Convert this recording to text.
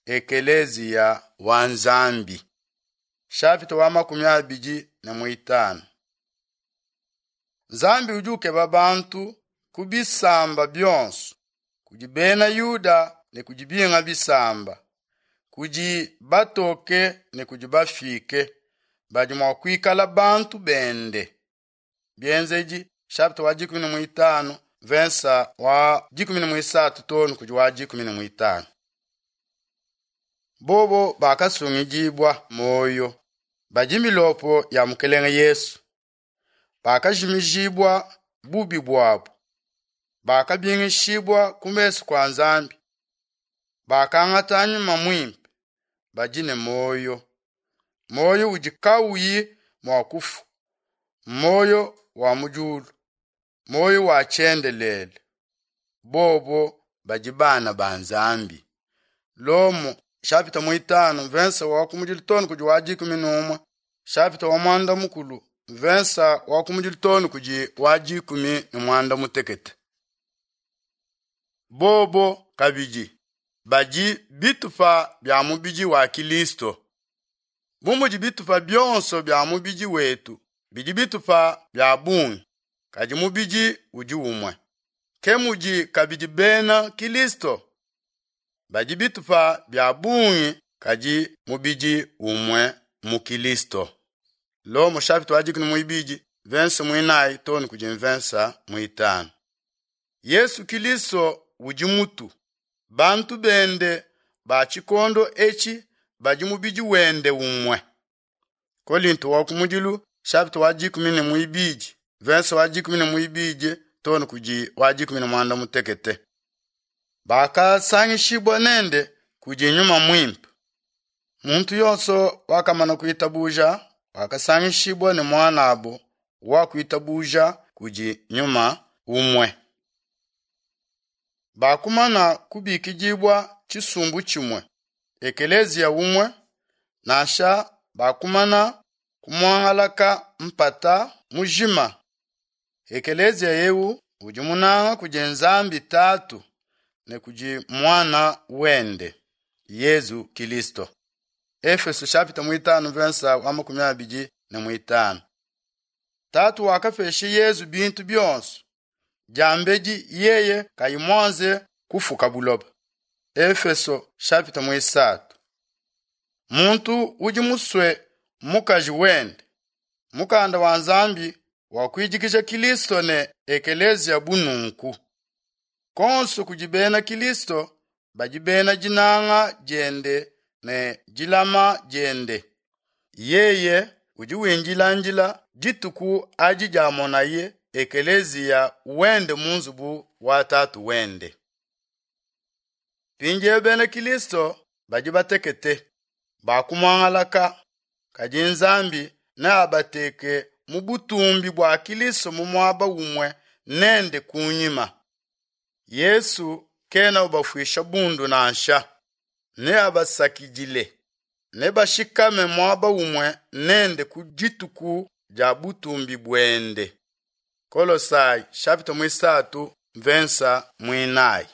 Ekeleziya wa Nzambi. Shapita wa 25. Nzambi udi ukeba bantu ku bisamba bionso, kudi bena Yuda ne kudi binga bisamba, kudi batoke ne kudi bafike, badi mua kuikala bantu bende. Bienzedi shapita wa 15 versa wa 13 too kudi wa 15. Bobo bakasungidibua moyo badi milopo ya Mukelenge Yesu, bakajimijibua bubi buabo, bakabingishibua ku mesu kua Nzambi, bakangata Nyuma Muimpe, badi ne moyo, moyo udi kauyi mua kufua, moyo wa mu diulu, moyo wa tshiendelele. Bobo badi bana ba Nzambi. Lomo shapita 5 versa wa kumudilu too kudi wa 11, shapita wa 9 versa wa kumudilu too kudi wa 16. Bobo kabidi badi bitupa bia mubidi wa Kilisto. Bu mudi bitupa bionso bia mubidi wetu bidi bitupa bia bungi, kadi mubidi udi umue. Ke mudi kabidi bena Kilisto badi bitupa bia bungi, kadi mubidi umue mu Kilisto. Lomo shapita wa 12 versa 4 too kudi versa 5. Yesu Kilisto udi mutu, bantu bende ba tshikondo etshi badi mubidi wende umue. Kolinto wa kumudilu shapita wa 12 versa wa 12 too kudi wa 16. Bakasangishibua nende kudi Nyuma Muimpe. Muntu yonso wakamana kuitabuja wakasangishibua ne mwanabo wa kuitabuja kudi Nyuma umue. Bakumana kubikidibua tshisumbu tshimue, ekeleziya umue, nansha bakumana kumuangalaka mpata mujima. Ekeleziya eu udi munanga kudi Nzambi Tatu ne kudi Mwana wende Yesu Kilisto. Efeso shapita 5 versa wa 25. Tatu wakapesha Yesu bintu bionso diambedi yeye kayi mwanze kufuka buloba. Efeso shapita 3. Muntu udi musue mukaji wende. Mukanda wa Nzambi wa kuidikija Kilisto ne ekeleziya bununku. Konso kudi bena Kilisto badi bena dinanga diende ne dilama diende. Yeye udi windilandila dituku adi diamonaye ekeleziya wende mu nzubu wa tatu wende. Mpindieu bena Kilisto badi batekete bakumuangalaka, kadi Nzambi neabateke mu butumbi bua Kilisto mu muaba umue nende kunyima. Yesu kena ubafuisha bundu nansha, neabasakidile, nebashikame muaba umue nende ku dituku dia butumbi buende. Kolosai shapita 3 versa 4.